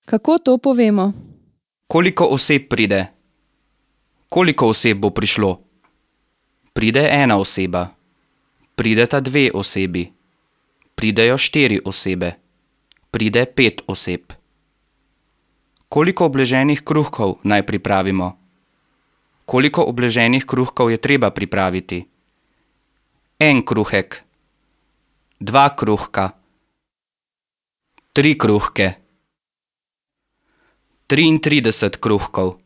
Kako to povemo? Koliko oseb pride? Koliko oseb bo prišlo? Pride ena oseba. Prideta dve osebi. Pridejo 4 osebe. Pride 5 oseb. Koliko obleženih kruhkov naj pripravimo? Koliko obleženih kruhkov je treba pripraviti? 1 kruhek. 2 kruhka. 3 kruhke. 33 kruhkov.